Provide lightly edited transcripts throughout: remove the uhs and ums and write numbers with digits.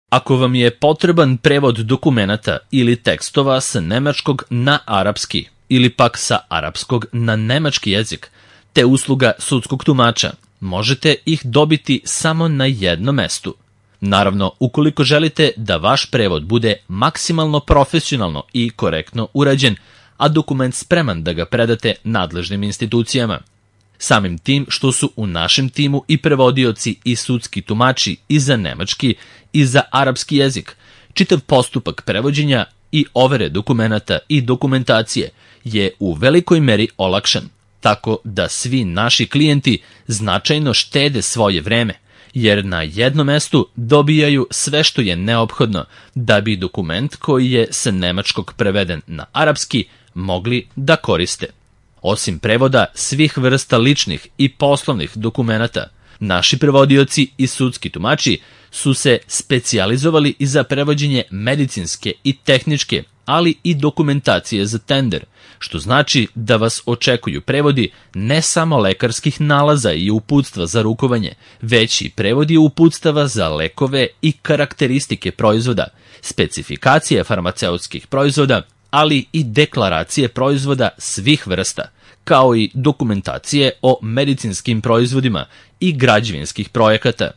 Ako vam je potreban prevod dokumenata ili tekstova sa nemačkog na arapski ili pak sa arapskog na nemački jezik, te usluga sudskog tumača, možete ih dobiti samo na jednom mestu. Naravno, ukoliko želite da vaš prevod bude maksimalno profesionalno i korektno urađen, a dokument spreman da ga predate nadležnim institucijama. Samim tim što su u našem timu i prevodioci i sudski tumači i za nemački i za arapski jezik, čitav postupak prevođenja i overe dokumenata i dokumentacije je u velikoj meri olakšan, tako da svi naši klijenti značajno štede svoje vreme, jer na jednom mestu dobijaju sve što je neophodno da bi dokument koji je sa nemačkog preveden na arapski mogli da koriste. Osim prevoda svih vrsta ličnih i poslovnih dokumenata, naši prevodioci i sudski tumači su se specijalizovali i za prevođenje medicinske i tehničke, ali i dokumentacije za tender, što znači da vas očekuju prevodi ne samo lekarskih nalaza i uputstva za rukovanje, već i prevodi uputstava za lekove i karakteristike proizvoda, specifikacije farmaceutskih proizvoda, ali i deklaracije proizvoda svih vrsta, kao i dokumentacije o medicinskim proizvodima i građevinskih projekata.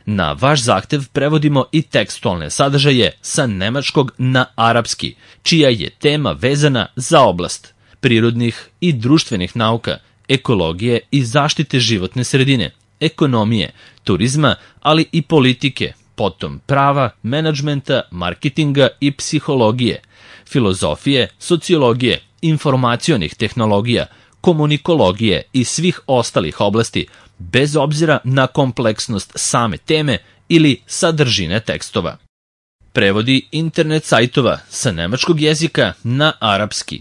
Na vaš zahtev prevodimo i tekstualne sadržaje sa nemačkog na arapski, čija je tema vezana za oblast prirodnih i društvenih nauka, ekologije i zaštite životne sredine, ekonomije, turizma, ali i politike, potom prava, menadžmenta, marketinga i psihologije, filozofije, sociologije, informacionih tehnologija, komunikologije i svih ostalih oblasti, bez obzira na kompleksnost same teme ili sadržine tekstova. Prevodi internet sajtova sa nemačkog jezika na arapski.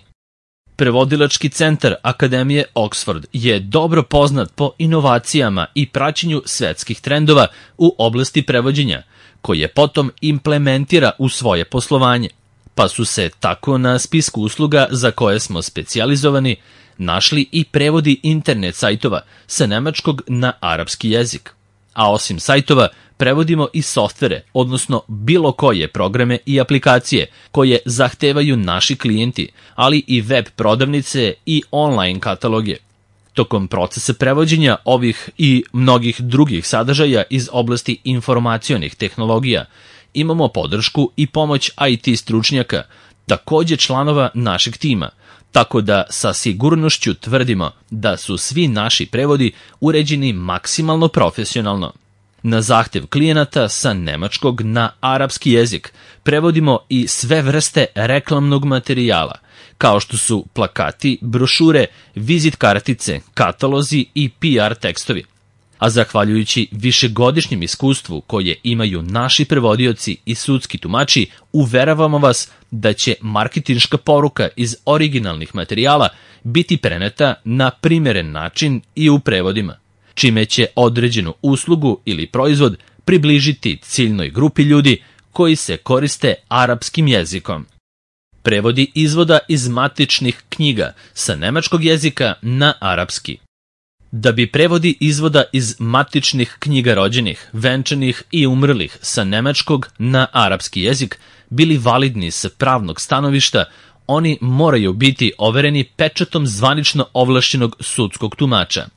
Prevodilački centar Akademije Oxford je dobro poznat po inovacijama i praćenju svetskih trendova u oblasti prevođenja, koje potom implementira u svoje poslovanje, pa su se tako na spisku usluga za koje smo specijalizovani našli i prevodi internet sajtova sa nemačkog na arapski jezik. A osim sajtova, prevodimo i softvere, odnosno bilo koje programe i aplikacije koje zahtevaju naši klijenti, ali i web prodavnice i online kataloge. Tokom procesa prevođenja ovih i mnogih drugih sadržaja iz oblasti informacionih tehnologija imamo podršku i pomoć IT stručnjaka, takođe članova našeg tima, tako da sa sigurnošću tvrdimo da su svi naši prevodi uređeni maksimalno profesionalno. Na zahtev klijenata sa nemačkog na arapski jezik prevodimo i sve vrste reklamnog materijala, kao što su plakati, brošure, vizit kartice, katalozi i PR tekstovi. A zahvaljujući višegodišnjem iskustvu koje imaju naši prevodioci i sudski tumači, uveravamo vas da će marketinška poruka iz originalnih materijala biti preneta na primeren način i u prevodima, čime će određenu uslugu ili proizvod približiti ciljnoj grupi ljudi koji se koriste arapskim jezikom. Prevodi izvoda iz matičnih knjiga sa nemačkog jezika na arapski. Da bi prevodi izvoda iz matičnih knjiga rođenih, venčanih i umrlih sa nemačkog na arapski jezik bili validni sa pravnog stanovišta, oni moraju biti overeni pečatom zvanično ovlašćenog sudskog tumača.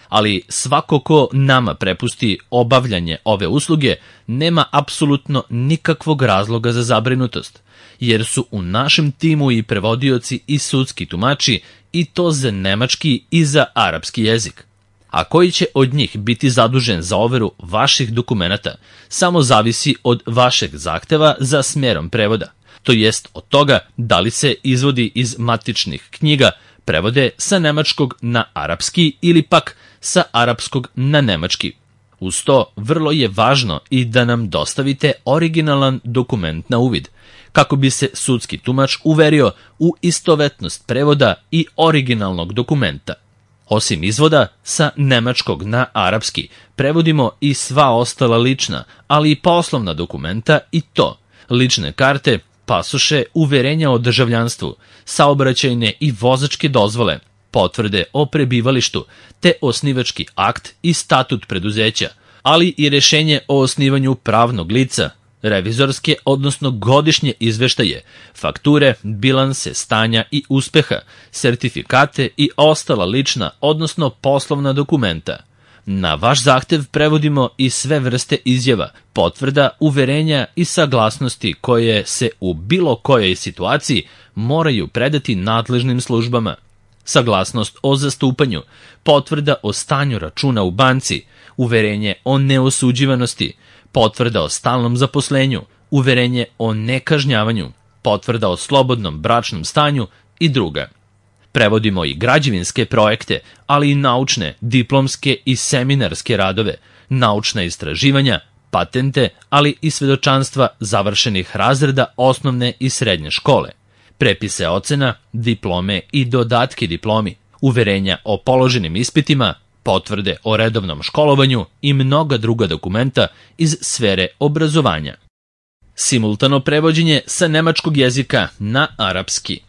Ali svako ko nama prepusti obavljanje ove usluge nema apsolutno nikakvog razloga za zabrinutost, jer su u našem timu i prevodioci i sudski tumači i to za nemački i za arapski jezik. A koji će od njih biti zadužen za overu vaših dokumenata samo zavisi od vašeg zahteva za smerom prevoda, to jest od toga da li se izvodi iz matičnih knjiga prevode sa nemačkog na arapski ili pak sa arapskog na nemački. Uz to, vrlo je važno i da nam dostavite originalan dokument na uvid, kako bi se sudski tumač uverio u istovetnost prevoda i originalnog dokumenta. Osim izvoda sa nemačkog na arapski, prevodimo i sva ostala lična, ali i poslovna dokumenta i to, lične karte, pasoše, uverenja o državljanstvu, saobraćajne i vozačke dozvole, potvrde o prebivalištu, te osnivački akt i statut preduzeća, ali i rešenje o osnivanju pravnog lica, revizorske, odnosno godišnje izveštaje, fakture, bilanse, stanja i uspeha, sertifikate i ostala lična, odnosno poslovna dokumenta. Na vaš zahtev prevodimo i sve vrste izjava, potvrda, uverenja i saglasnosti koje se u bilo kojoj situaciji moraju predati nadležnim službama. Saglasnost o zastupanju, potvrda o stanju računa u banci, uverenje o neosuđivanosti, potvrda o stalnom zaposlenju, uverenje o nekažnjavanju, potvrda o slobodnom bračnom stanju i druga. Prevodimo i građevinske projekte, ali i naučne, diplomske i seminarske radove, naučna istraživanja, patente, ali i svedočanstva završenih razreda osnovne i srednje škole, prepise ocena, diplome i dodatke diplomi, uverenja o položenim ispitima, potvrde o redovnom školovanju i mnoga druga dokumenta iz sfere obrazovanja. Simultano prevođenje sa nemačkog jezika na arapski.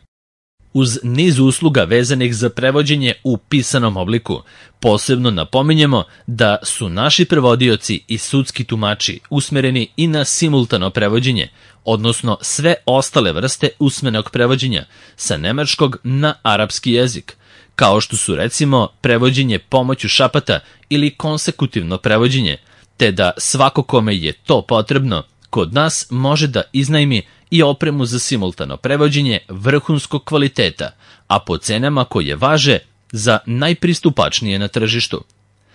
Uz niz usluga vezanih za prevođenje u pisanom obliku, posebno napominjemo da su naši prevodioci i sudski tumači usmereni i na simultano prevođenje, odnosno sve ostale vrste usmenog prevođenja sa nemačkog na arapski jezik, kao što su recimo prevođenje pomoću šapata ili konsekutivno prevođenje, te da svako kome je to potrebno, kod nas može da iznajmi i opremu za simultano prevođenje vrhunskog kvaliteta, a po cenama koje važe za najpristupačnije na tržištu.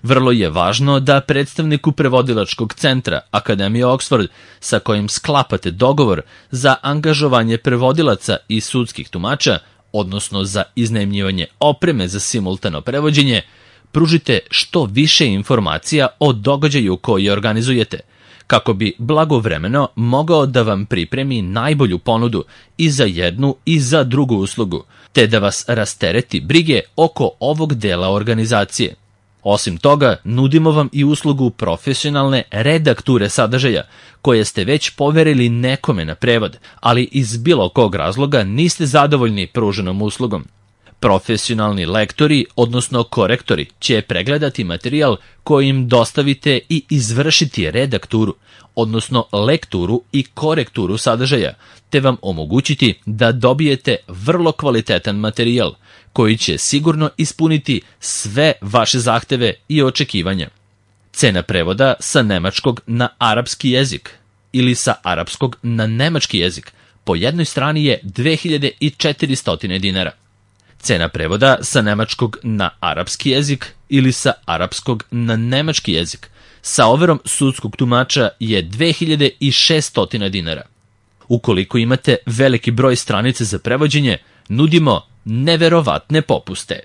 Vrlo je važno da predstavniku prevodilačkog centra Akademije Oxford, sa kojim sklapate dogovor za angažovanje prevodilaca i sudskih tumača, odnosno za iznajmljivanje opreme za simultano prevođenje, pružite što više informacija o događaju koji organizujete, kako bi blagovremeno mogao da vam pripremi najbolju ponudu i za jednu i za drugu uslugu, te da vas rastereti brige oko ovog dela organizacije. Osim toga, nudimo vam i uslugu profesionalne redakture sadržaja, koje ste već poverili nekome na prevod, ali iz bilo kog razloga niste zadovoljni pruženom uslugom. Profesionalni lektori, odnosno korektori, će pregledati materijal koji im dostavite i izvršiti redakturu, odnosno lekturu i korekturu sadržaja, te vam omogućiti da dobijete vrlo kvalitetan materijal, koji će sigurno ispuniti sve vaše zahteve i očekivanja. Cena prevoda sa nemačkog na arapski jezik ili sa arapskog na nemački jezik po jednoj strani je 2400 dinara. Cena prevoda sa nemačkog na arapski jezik ili sa arapskog na nemački jezik sa overom sudskog tumača je 2600 dinara. Ukoliko imate veliki broj stranica za prevođenje, nudimo neverovatne popuste.